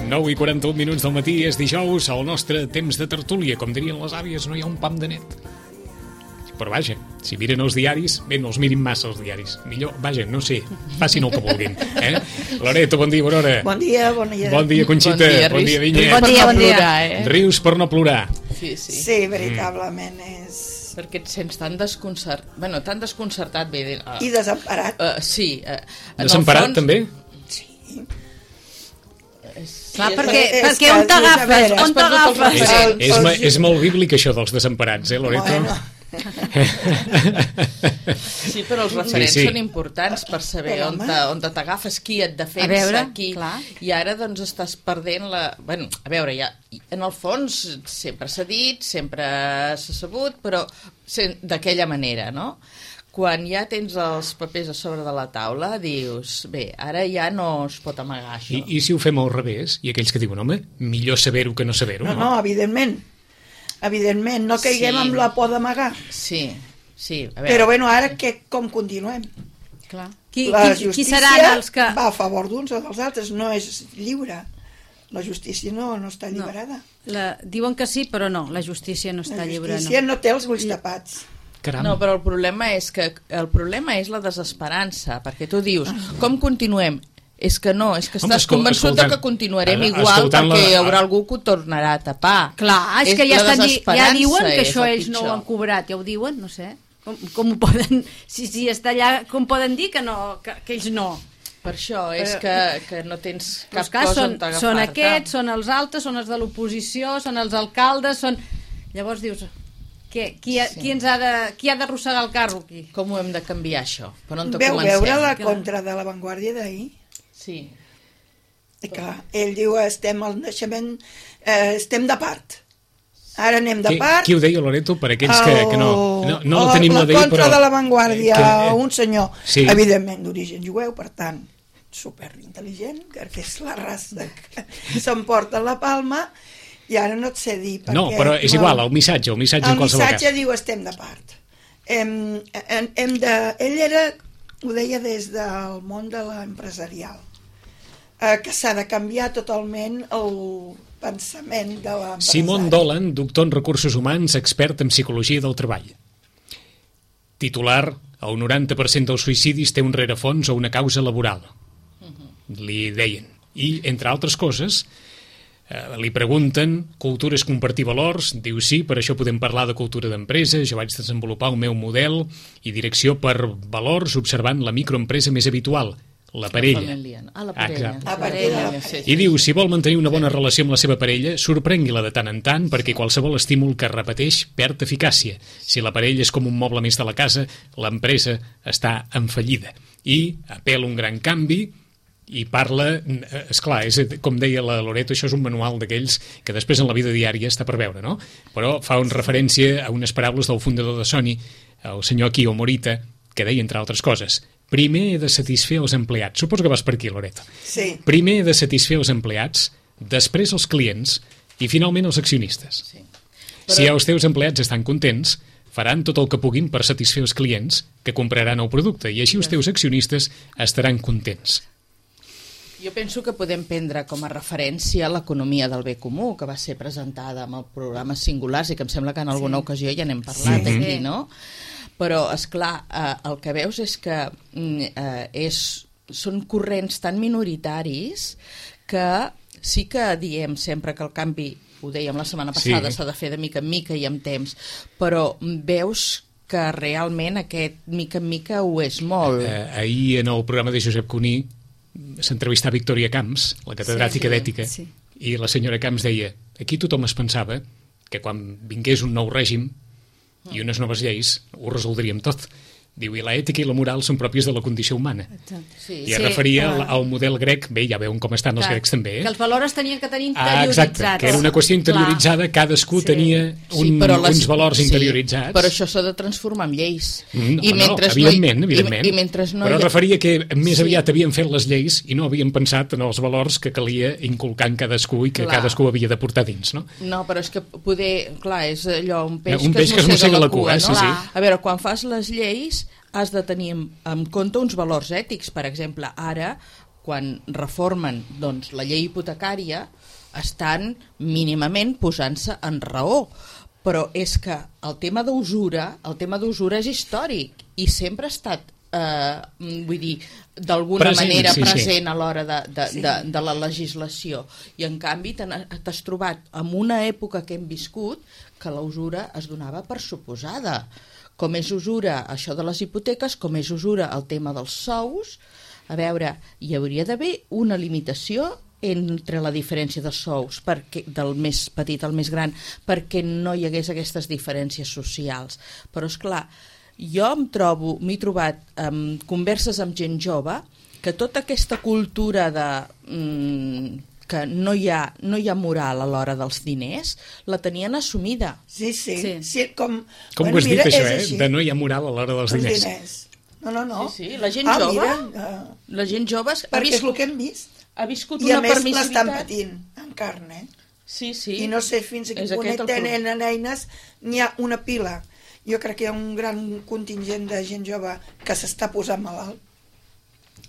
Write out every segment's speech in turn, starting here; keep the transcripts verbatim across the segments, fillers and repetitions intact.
nou i quaranta-un minuts del matí, és dijous, al nostre temps de tertúlia. Com dirien les àvies, no hi ha un pam de net. Però vaja, si miren els diaris, bé, no els mirin massa els diaris. Millor, vaja, no sé, facin el que vulguin. Eh? Loreto, bon dia, bona hora. Bon dia, bon dia. Bon dia, Conxita. Bon dia, bon dia Vinyet. Bon dia, bon dia. Eh? Rius per no plorar. Sí, sí. Sí, veritablement és... Perquè et sents tan desconcertat, bueno, tan desconcertat, bé... Uh, I desemparat. Uh, sí. Uh, Desemparat, fons... també? Sí. Clar, Sí, perquè, és perquè que, on t'agafes? has On perdut els t'agafes? És, referents. és, el- és, és molt bíblic això dels desemparats, eh, Loreto? Bueno, Sí, però els referents Sí, sí. són importants per saber Però, on home. te- on te t'agafes, qui et defensa, A veure, qui... clar. I ara, doncs, estàs perdent la... Bueno, a veure, ja, en el fons sempre s'ha dit, sempre s'ha sabut, però sen- d'aquella manera, no? Quan ja tens els papers a sobre de la taula, dius, bé, ara ja no es pot amagar això. I, I si ho fem al revés? I aquells que diuen, home, millor saber-ho que no saber-ho, no, no? no, evidentment. Evidentment, no caiguem Sí. amb la por d'amagar. Sí, sí, a veure... Però bueno, ara que, com continuem? Clar. Qui, La qui, qui justícia seran els que... va a favor d'uns o dels altres, no és lliure. La justícia no, no està alliberada. La, diuen que sí, però no, la justícia no està La lliure. justícia No. no té els ulls tapats. Caram. No, però el problema és que el problema és la desesperança, perquè tu dius, com continuem? És que no, és que Home, estàs escol- convençut escoltant- de que continuarem ara, igual escoltant perquè la- hi haurà algú que ho tornarà a tapar. Clar, és, que ja, la estan, di- ja desesperança diuen que és això el ells no ho pitjor. han cobrat, ja ho diuen, no sé. Com, com ho poden... Si, si està allà, com poden dir que, no, que, que ells no? Per això és Però- que, que no tens cap Els cas cosa són, on t'agafar-te. són aquests, són els altres, són els de l'oposició, són els alcaldes, són... Llavors dius, què, qui, ha, Sí. qui, ens ha de, qui ha d'arrossegar el carro aquí? Com ho hem de canviar, això? Per on te Veu comencem? veure la Clar. contra de l'avantguàrdia d'ahir? Sí. I clar, ell diu, estem al naixement, eh, estem de part. Ara anem de Qui, part. qui ho deia, Loreto? Per aquells que, que no, no, no la tenim la, la d'ahir, contra però... de l'avantguàrdia, que, eh, un senyor, sí. evidentment d'origen jueu, per tant, superintel·ligent, que és la raça que s'emporta la palma, i ara no et sé dir... Perquè, No, però és igual, el missatge, el missatge en el qualsevol missatge cas. diu estem de part. Hem, hem, hem de, ell era, ho deia des del món de l'empresarial, eh, que s'ha de canviar totalment el pensament de l'empresari. Simon Dolan, doctor en recursos humans, expert en psicologia del treball. Titular, el noranta per cent dels suïcidis té un rerefons o una causa laboral. Li deien. I, entre altres coses, eh, li pregunten cultures compartir valors, diu sí, per això podem parlar de cultura d'empresa, jo vaig desenvolupar el meu model i direcció per valors observant la microempresa més habitual, la parella. La família. Ah, la parella. Exacte. La parella. Sí, sí, I diu, si vol mantenir una bona relació amb la seva parella, sorprengui-la de tant en tant, perquè qualsevol estímul que es repeteix perd eficàcia. Si la parella és com un moble més de la casa, l'empresa està en fallida. I apel·la un gran canvi i parla, esclar, és, com deia la Loreto, això és un manual d'aquells que després en la vida diària està per veure, no? Però fa una referència a unes paraules del fundador de Sony, el senyor Akio Morita, que deia, entre altres coses, primer he de satisfer els empleats. Suposo que vas per aquí, Loreto. Sí. Primer he de satisfer els empleats, després els clients i finalment els accionistes. Sí. Però... Si els teus empleats estan contents, faran tot el que puguin per satisfer els clients que compraran el producte i així els teus accionistes estaran contents. Jo penso que podem prendre com a referència l'economia del bé comú, que va ser presentada amb el programa Singulars i que em sembla que en alguna sí. ocasió ja n'hem parlat Sí. aquí, no? Però, esclar, eh, el que veus és que mm, eh, és, són corrents tan minoritaris que sí que diem sempre que el canvi, ho dèiem la setmana passada, s'ha Sí. de fer de mica en mica i amb temps, però veus que realment aquest mica en mica ho és molt. Eh, ahir en el programa de Josep Cuní s'entrevistà Victòria Camps, la catedràtica Sí, sí, d'ètica, sí. i la senyora Camps deia, aquí tothom es pensava que quan vingués un nou règim i unes noves lleis ho resoldríem tot. Diu, i l'ètica i la moral són pròpies de la condició humana. Sí. I es Sí, referia al, clar. al model grec, bé, ja veuen com estan els Clar, grecs també, eh? Que els valors tenien que tenir Ah, interioritzats. exacte, que era una qüestió interioritzada, cadascú Sí. tenia un, però les- uns valors sí, interioritzats. però això s'ha de transformar en lleis. Mm, I no, mentre no, evidentment, no hi, evidentment. I, i mentre no però hi ha... referia que més Sí. aviat havien fet les lleis i no havien pensat en els valors que calia inculcar en cadascú i que Clar. cadascú havia de portar dins, no? No, però és que poder... Clar, és allò, un peix, Un peix que es mossega la cua, sí, no? sí. A veure, quan fas les lleis has de tenir en, en compte uns valors ètics. Per exemple, ara, quan reformen doncs, la llei hipotecària, estan mínimament posant-se en raó. Però és que el tema d'usura, el tema d'usura és històric i sempre ha estat, eh, vull dir, d'alguna present, manera sí, present sí. a l'hora de, de, Sí. de, de la legislació. I en canvi t'has trobat en una època que hem viscut que la usura es donava per suposada. Com és usura això de les hipoteques, com és usura el tema dels sous. A veure, hi hauria d'haver una limitació entre la diferència de sous perquè, del més petit al més gran, perquè no hi hagués aquestes diferències socials. Però és clar, jo em trobo, m'he trobat amb converses amb gent jove que tota aquesta cultura de mm, que no hi ha, no hi ha moral a l'hora dels diners la tenien assumida. Sí, sí. Sí. sí com Com bueno, ho has dit, mira, això, és eh? així. De no hi ha moral a l'hora dels Els diners. diners. No, no, no. Sí, sí, la gent ah, jove, mira, uh, la gent jove ha, perquè és viscut, el que hem vist. ha viscut I a una més l'estan permissivitat. patint en carn, eh? Sí, sí. I no sé fins a quin És punt aquest el problema. tenen eines, n'hi ha una pila. Jo crec que hi ha un gran contingent de gent jove que s'està posant malalt.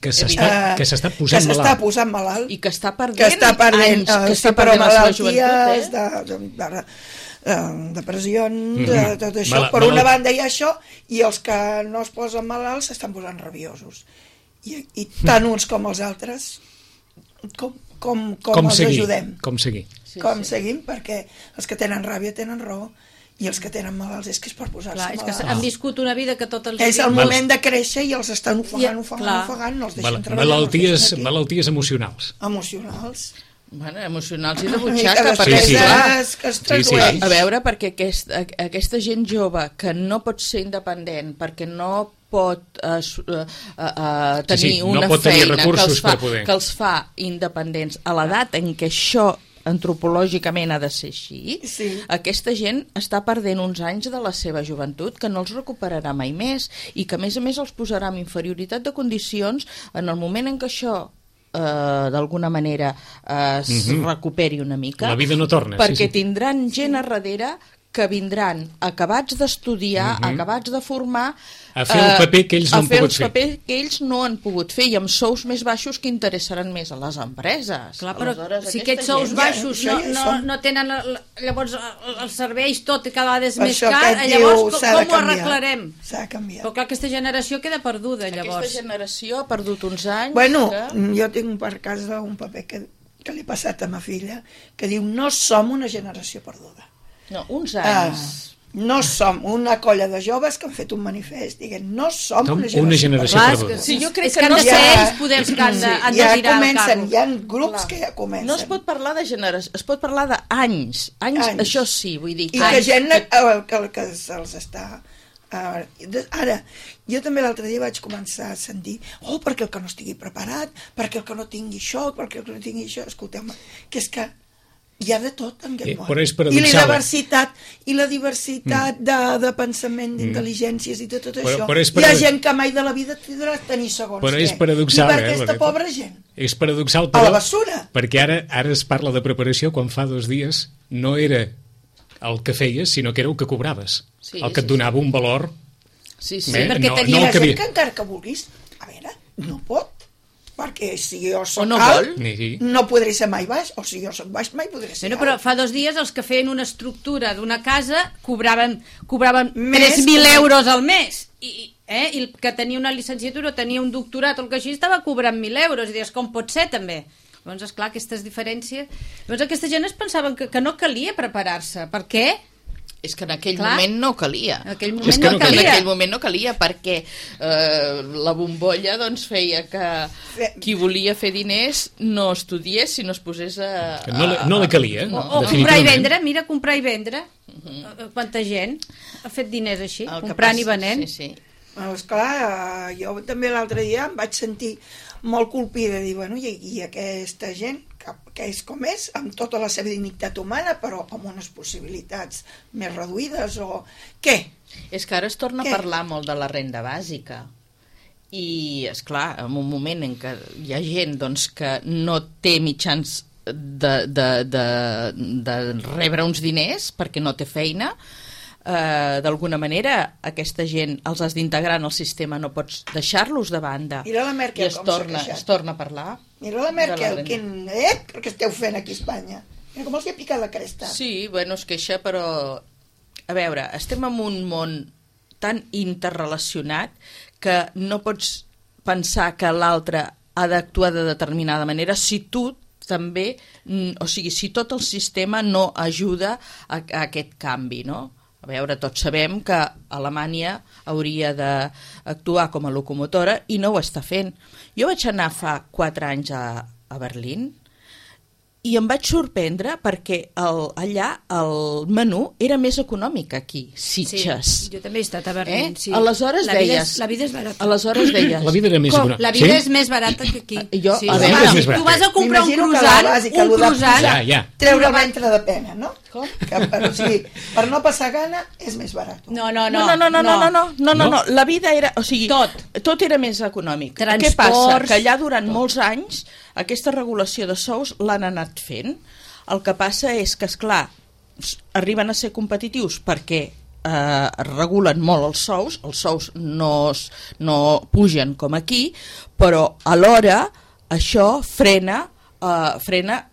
Que s'està Eh, que s'està posant que s'està malalt. posant malalt. I que està perdent, que està perdent, anys, que eh, està sí, però perdent la seva malalties joventut, eh? de, de, de, de depressions, Mhm. de tot això. Mala- per malalt- una banda hi ha això, i els que no es posen malalts s'estan posant rabiosos. I, i tant uns com els altres, com, com, com, Com els seguir? ajudem? Com seguir? Sí, com sí. seguim? Perquè els que tenen ràbia tenen raó, i els que tenen malalts és que és per posar-se Clar, és que malalts. han viscut una vida que tot els... És el diuen- Mal- moment de créixer i els estan ofegant, I- ofegant, clar. ofegant, no els deixen Mal treballar. malalties, no els deixen aquí. malalties emocionals. Emocionals. Bueno, emocionals i de I que butxaca, després perquè Sí, sí. clar, es, que es Sí, sí. tradueix. a veure, perquè aquest, a, aquesta gent jove que no pot ser independent, perquè no pot eh, su- eh, eh, tenir Sí, sí, no una pot tenir feina que recursos els, fa, per poder. que els fa independents a l'edat en què això antropològicament ha de ser així, Sí. aquesta gent està perdent uns anys de la seva joventut que no els recuperarà mai més i que a més a més els posarà amb inferioritat de condicions en el moment en què això eh, d'alguna manera eh, es Mhm. recuperi una mica, La vida no torna, sí, perquè sí. tindran gent a darrere que vindran acabats d'estudiar, Mhm. acabats de formar, A fer el paper que ells no a han fer pogut el fer. paper que ells no han pogut fer i amb sous més baixos que interessaran més a les empreses. Clar, però Aleshores, si aquesta aquests sous gent- baixos Ja, no, això ja no, són. no tenen el- llavors el- els serveis tot i cada vegada és Per més això car, que et llavors diu, com, s'ha de com ho canviar. arreglarem? S'ha de canviar. Però clar, aquesta generació queda perduda llavors. Aquesta generació ha perdut uns anys. Bueno, que... jo tinc per casa un paper que, que li he passat a ma filla, que diu, no som una generació perduda. No, uns Ah, anys. no som una colla de joves que han fet un manifest dient, no som Som una generació, una generació Clar, és perduda. que, Sí, jo crec és que que han no de sé- ser Ja- ells poder els que han de, han de ja girar el comencen, carro. hi ha grups Clar. que ja comencen. No es pot parlar de generació, es pot parlar d'anys. Anys, Anys. això sí, vull dir I anys que gent que- que, que, que se'ls està... Uh, ara, jo també l'altre dia vaig començar a sentir oh, perquè el que no estigui preparat, perquè el que no tingui això, perquè el que no tingui això, escolteu-me, que és que hi ha de tot en aquest Eh, món. però és I la paradoxal, eh? diversitat, i la diversitat mm. de, de pensament, d'intel·ligències i de tot Però- això. però és Hi ha parado- gent que mai de la vida tindrà tenir segons Però què. és paradoxal, I per eh, aquesta perquè- pobra gent. És paradoxal, A però... la basura. Perquè ara ara es parla de preparació quan fa dos dies no era el que feies, sinó que era el que cobraves. Sí, el que et sí, donava un valor. Sí, sí. Bé, perquè no, tenia no I el la que gent havia... que encara que vulguis, a veure, no pot. Perquè si jo soc O no alt, vol. Ni sí. no podré ser mai baix, o si jo soc baix, mai podré ser Bueno, però alt. fa dos dies els que feien una estructura d'una casa cobraven, cobraven Més tres mil que- euros al mes. I, eh? I el que tenia una llicenciatura o tenia un doctorat o el que així estava cobrant mil euros. I dius, com pot ser també? Llavors, esclar, aquestes diferències... Llavors, aquesta gent es pensaven que, que no calia preparar-se. Per què? És que en aquell Clar. moment no calia. En aquell És moment que no, no En calia. aquell moment no calia perquè eh, la bombolla doncs, feia que qui volia fer diners no estudiés sinó es posés a... Que no li- no li calia, O, no. o comprar i definitivament. vendre, mira, comprar i vendre. Uh-huh. Quanta gent ha fet diners així, El que comprant passa- i venent. Sí, sí. Bueno, esclar, jo també l'altre dia em vaig sentir molt colpida, dir, bueno, i, i aquesta gent, que, que és com és, amb tota la seva dignitat humana, però amb unes possibilitats més reduïdes, o què? És que ara es torna Què? a parlar molt de la renda bàsica i, és clar, en un moment en què hi ha gent doncs, que no té mitjans de, de, de, de rebre uns diners perquè no té feina, eh, d'alguna manera aquesta gent els has d'integrar en el sistema, no pots deixar-los de banda. Mira la Merkel I es com s'ha torna, queixat. es torna a parlar. Mira la Merkel, quin... Eh? Què esteu fent aquí a Espanya? Mira com els hi ha picat la cresta. Sí, bueno, es queixa, però... A veure, estem en un món tan interrelacionat que no pots pensar que l'altre ha d'actuar de determinada manera si tu també, o sigui, si tot el sistema no ajuda a, a aquest canvi, no? A veure, tots sabem que Alemanya hauria d'actuar com a locomotora i no ho està fent. Jo vaig anar fa quatre anys a, a Berlín i em vaig sorprendre perquè el, allà el menú era més econòmic que aquí, Sitges. Sí, jo també he estat a Berlín, Eh? sí. Aleshores la vida deies... És, la vida és barata. Aleshores deies... La vida era més Com? econòmica. La vida Sí? és més barata que aquí. Jo- sí. a veure, Home, és més si tu barat. vas a comprar un M'imagino que croissant, la bàsica, un lo de- croissant... Ja, ja. Treure el ventre de pena, no? Com? Que per, o sigui, per no passar gana és més barat. No, no, No, no, no, no, no, no, no, no, no, no. La vida era, o sigui, Tot. tot era més econòmic. Transports. Què passa? Que allà durant molts anys aquesta regulació de sous l'han anat fent. El que passa és que, esclar, arriben a ser competitius perquè eh, regulen molt els sous, els sous no, es- no pugen com aquí, però alhora això frena, eh, frena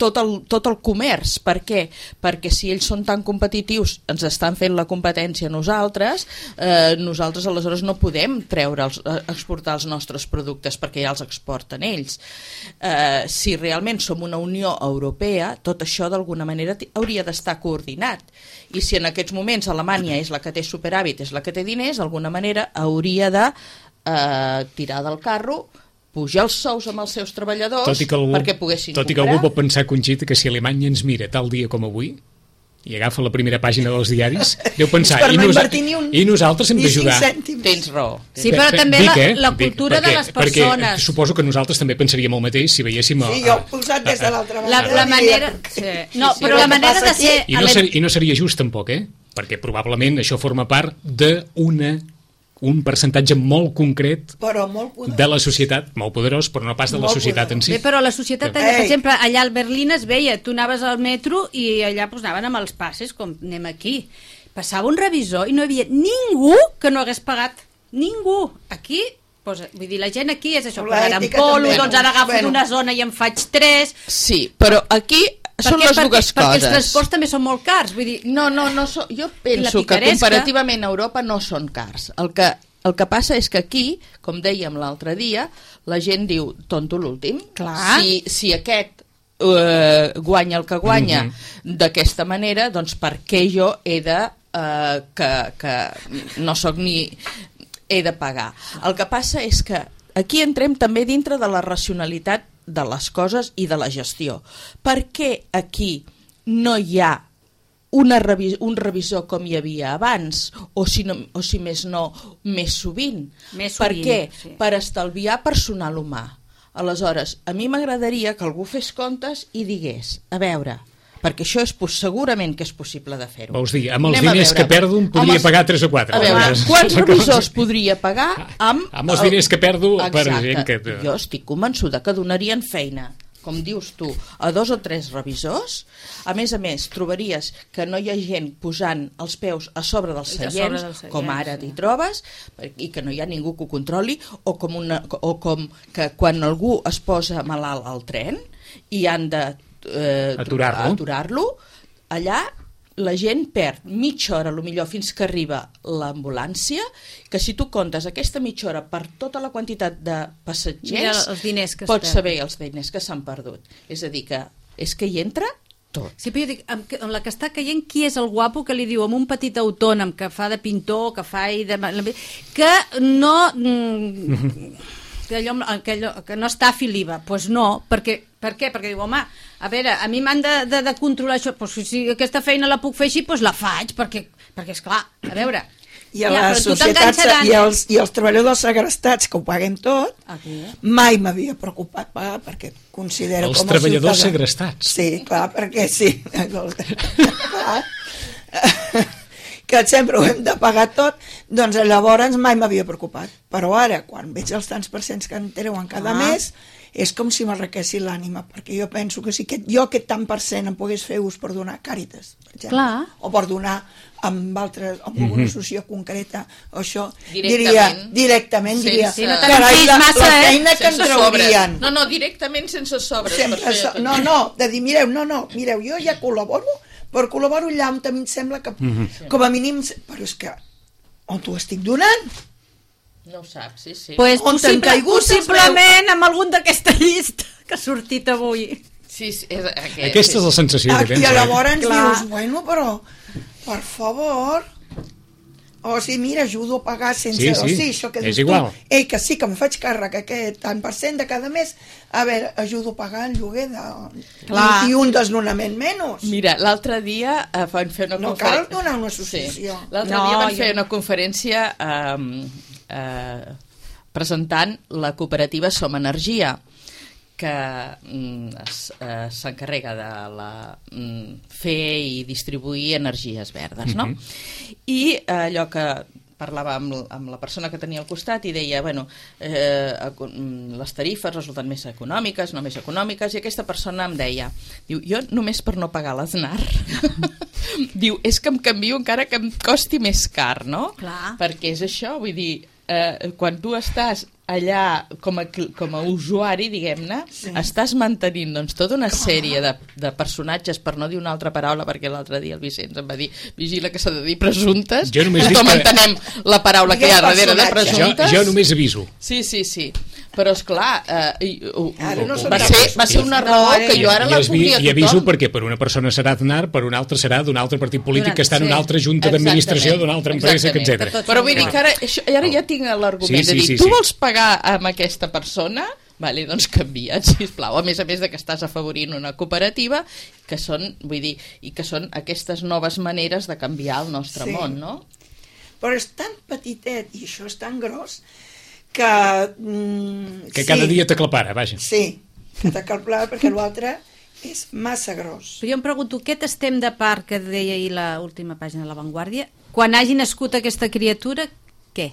tot el, tot el comerç. Per què? Perquè si ells són tan competitius, ens estan fent la competència a nosaltres, eh, nosaltres aleshores no podem treure els, eh, exportar els nostres productes perquè ja els exporten ells. Eh, si realment som una Unió Europea, tot això d'alguna manera ti- hauria d'estar coordinat. I si en aquests moments Alemanya és la que té superàvit, és la que té diners, d'alguna manera hauria de eh, tirar del carro, pujar els sous amb els seus treballadors Tot i que algú, perquè poguessin tot i que comprar. algú pot pensar, Conxita, que si Alemanya ens mira tal dia com avui i agafa la primera pàgina dels diaris, deu pensar, Per i, no nosa invertir ni un- i nosaltres hem ni cinc d'ajudar. cèntims. Tens raó. Sí, però també Dic, la, eh? la Dic, cultura perquè, de les persones. Perquè suposo que nosaltres també pensaríem el mateix si veiéssim... Sí, a- jo ho he posat des de l'altra La, banda. la diria, manera... perquè- Sí. No, sí, però sí. la El que manera passa de aquí- ser... I no, ser, I no seria just tampoc, eh? Perquè probablement això forma part d'una un percentatge molt concret Però molt poderós. de la societat, molt poderós, però no pas de la Molt societat poderós. en si. Bé, però la societat, Ei. allà, per exemple, allà al Berlín es veia, tu anaves al metro i allà pues, anaven amb els passes, com anem aquí. Passava un revisor i no hi havia ningú que no hagués pagat. Ningú. Aquí, pues, vull dir, la gent aquí és això, La pues, ara en ètica polo, també. doncs ara agafo Bueno. d'una zona i en faig tres... Sí, però aquí són Perquè- les perquè, dues perquè coses. els transports també són molt cars, vull dir... No, no, no so, jo I la penso que picaresca. comparativament a Europa no són cars. El que, el que passa és que aquí, com dèiem l'altre dia, la gent diu, tonto l'últim. Clar. Si, si aquest eh, guanya el que guanya Mhm. d'aquesta manera, doncs per què jo he de... Eh, que, que no sóc ni... he de pagar. El que passa és que aquí entrem també dintre de la racionalitat de les coses i de la gestió. Per què aquí no hi ha una revis un revisor com hi havia abans, o si, no, o si més no, més sovint? Més per sovint, què? sí. Per estalviar personal humà. Aleshores, a mi m'agradaria que algú fes comptes i digués, a veure, perquè això és pos- segurament que és possible de fer-ho. Vols dir, amb els Anem a diners veure. que perdo en podria Amb els- pagar tres o quatre. A veure, Aleshores, quants la cosa- revisors podria pagar amb... Amb els diners que perdo per Exacte. gent que... Jo estic convençuda que donarien feina, com dius tu, a dos o tres revisors. A més a més, trobaries que no hi ha gent posant els peus a sobre dels A sobre seients, dels seients, com ara sí. t'hi trobes, i que no hi ha ningú que ho controli, o com, una, o com que quan algú es posa malalt al tren i han de eh, Aturar-lo. aturar-lo, allà la gent perd mitja hora, lo millor, fins que arriba l'ambulància, que si tu comptes aquesta mitja hora per tota la quantitat de Mira passatgers, els diners que es pots perden. saber els diners que s'han perdut. És a dir, que és que hi entra tot. Sí, però jo dic, amb, amb la que està caient, qui és el guapo que li diu amb un petit autònom que fa de pintor, que fa i de... que no... Mm, que, allò, que, allò, que no està a l'I V A. Doncs pues no, perquè, per què? Perquè diu, home, a veure, a mi m'han de, de, de controlar això, pues si, si aquesta feina la puc fer així, doncs la faig, perquè, perquè esclar, a veure... I a ja, les però tu societats t'enganxaran. i els, i els treballadors segrestats que ho paguem tot, Aquí. mai m'havia preocupat pagar perquè considero Els com a treballadors ciutadà- segrestats. Sí, clar, perquè sí. Clar. Que sempre ho hem de pagar tot, doncs llavors mai m'havia preocupat. Però ara, quan veig els tants percents que em treuen cada Ah. mes, és com si m'arrequessi l'ànima, perquè jo penso que si aquest, jo aquest tant per cent em pogués fer ús per donar Càritas, per exemple, Clar. o per donar amb altres, amb alguna Mhm. associació concreta, o això, Directament. diria, directament, Sense- diria, Sí, no te'n carai, fiïs la, massa, la eh? feina que en Sense sobres. traurien. No, no, directament sense sobres. Sempre, per fer so, tot. no, no, de dir, mireu, no, no, mireu, jo ja col·laboro, però col·laboro allà on a mi em sembla que, Mhm. com a mínim, però és que, on t'ho estic donant? No ho saps, sí, sí. Pues On t'han possible, caigut els possiblement amb algun d'aquesta llista que ha sortit avui. Sí, sí, és aquest, Aquesta és la sensació Ah, que tens. I eh? llavors Clar. dius, bueno, però, per favor, o sigui, mira, ajudo a pagar sense... Sí, sí, o sigui, això que és dius igual. tu, ei, que sí, que em faig càrrec aquest tant per cent de cada mes, a veure, ajudo a pagar el lloguer de... Clar. I, i un desnonament menys. Mira, l'altre dia eh, van fer una No cal conferència... donar una associació. Sí. L'altre No, dia van jo- fer una conferència eh, eh, presentant la cooperativa Som Energia, que mm, es- eh, s'encarrega de la, mm, fer i distribuir energies verdes, no? Mhm. I eh, allò que parlava amb, l- amb la persona que tenia al costat i deia, bueno, eh, eco- mm, les tarifes resulten més econòmiques, no més econòmiques, i aquesta persona em deia, diu, jo només per no pagar l'Aznar, diu, és que em canvio encara que em costi més car, no? Clar. Perquè és això, vull dir, eh, quan tu estàs allà com a, cl- com a usuari, diguem-ne, Sí. estàs mantenint doncs, tota una sèrie de, de personatges, per no dir una altra paraula, perquè l'altre dia el Vicenç em va dir, vigila que s'ha de dir presumptes, Jo només dic tothom que- entenem la paraula que hi ha Diguem darrere de personatge. Jo, presumptes. jo només aviso. Sí, sí, sí. Però, esclar, eh, i- uh, Ara no uh, són va, cap ser, va ser una No, raó ara que jo ara I, la es vi- volia a I aviso tothom. perquè per una persona serà Aznar, per una altra serà d'un altre partit polític Durant- que està en una sí. altra junta d'administració, Exactament, d'una altra empresa, exactament. etcètera. Tot- Però vull dir que ara, això, ara ja tinc l'argument Sí, sí, de dir, sí, tu sí. vols pagar amb aquesta persona? Vale, doncs canvia't, sisplau. A més a més de que estàs afavorint una cooperativa, que són, vull dir, i que són aquestes noves maneres de canviar el nostre Sí. món, no? Però és tan petitet i això és tan gros que... Mm, Que sí, cada dia t'aclapara, vaja. Sí, que t'acalplava perquè l'altre és massa gros. Però jo em pregunto, aquest estem de part que deia ahir l'última pàgina de La Vanguardia, quan hagi nascut aquesta criatura, què?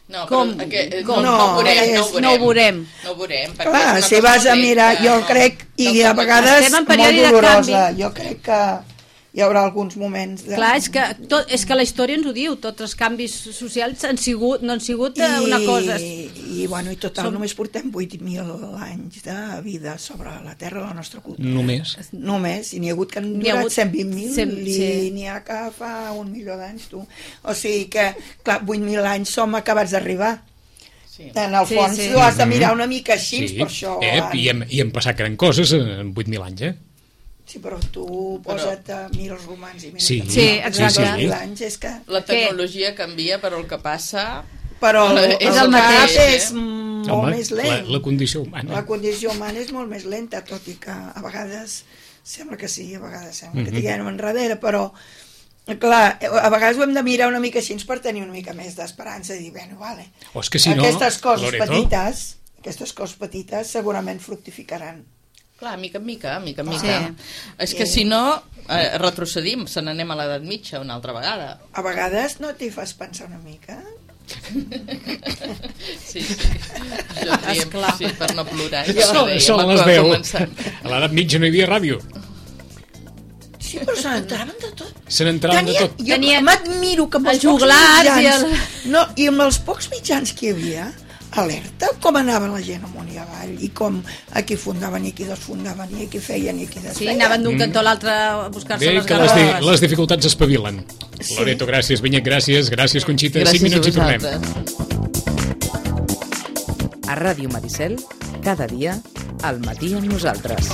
No, Com? però, que, Com? no, no, ho veurem, No, no, ho és- veurem. no ho veurem. No ho veurem. perquè Clar, és una si cosa vas a molt mirar, lenta, jo no. crec, i No, a no, vegades Estem en molt període de dolorosa, canvi. jo crec que hi haurà alguns moments de... Clar, és que, tot, és que la història ens ho diu, tots els canvis socials han sigut, no han sigut I, una cosa... I, i, bueno, i total, Som- només portem vuit mil anys de vida sobre la terra de la nostra cultura. Només. Només, i n'hi ha hagut que han N'hi ha durat hagut cent vint mil cent- i sí. n'hi ha que fa un milió d'anys, tu. O sigui que, clar, vuit mil anys som acabats d'arribar. Sí. En el Sí, fons, sí. tu has de mirar una mica així, Sí, per això... eh, han- i, hem, i hem passat gran coses en vuit mil anys, eh? Sí, però tu posa't a mirar els romans i mira... Sí, que Sí, fa exacte. dos mil anys, és que... La tecnologia canvia, però el que passa... Però el, És el el cap mateix, eh? és molt Home, més la, lent. la condició humana. La condició humana és molt més lenta, tot i que a vegades sembla que sí, a vegades sembla que Mhm. tinguem enrere, però clar, a vegades ho hem de mirar una mica així per tenir una mica més d'esperança i dir, bueno, vale, O és que si no, aquestes coses Loreto, petites, aquestes coses petites segurament fructificaran. Clar, mica en mica, mica en Sí. mica. És que si no, eh, retrocedim, se n'anem a l'edat mitja una altra vegada. A vegades no t'hi fas pensar una mica? Sí, sí. Jo diem, Esclar. sí, per no plorar. Són, Ja ho dèiem, són a les deu. començant. A l'edat mitja no hi havia ràdio. Sí, però se n'entraven de tot. Se n'entraven de tot. Jo Tenia m'admiro que amb els, els pocs joglars i mitjans... el- No, i amb els pocs mitjans que hi havia, alerta com anava la gent amunt i avall, i com aquí fundaven i aquí desfundaven, i aquí feien i aquí Sí, desfeien. anaven d'un cantó a l'altre a buscar-se Bé, les que les, di garrofes. les dificultats espavilen. Sí. Loreto, gràcies. Vinyet, gràcies. Gràcies, Conxita. Gràcies Cinc minuts a i tornem. vosaltres. A Ràdio Maricel, cada dia, al matí amb nosaltres.